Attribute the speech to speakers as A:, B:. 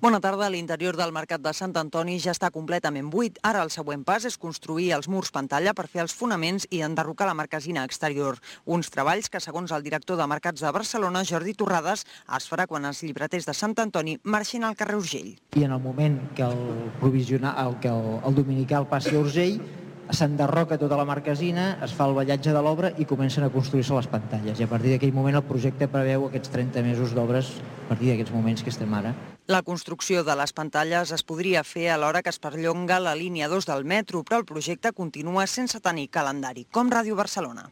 A: Bona tarda. L'interior del Mercat de Sant Antoni ja està completament buit. Ara el següent pas és construir els murs pantalla per fer els fonaments i enderrocar la marquesina exterior. Uns treballs que, segons el director de Mercats de Barcelona, Jordi Torrades, es farà quan els llibreters de Sant Antoni marxin al carrer Urgell.
B: I en el moment que el dominical passi a Urgell, s'enderroca tota la marquesina, es fa el ballatge de l'obra i comencen a construir-se les pantalles. I a partir d'aquell moment el projecte preveu aquests 30 mesos d'obres a partir d'aquests moments que estem ara.
A: La construcció de les pantalles es podria fer alhora que es perllonga la línia 2 del metro, però el projecte continua sense tenir calendari, com Ràdio Barcelona.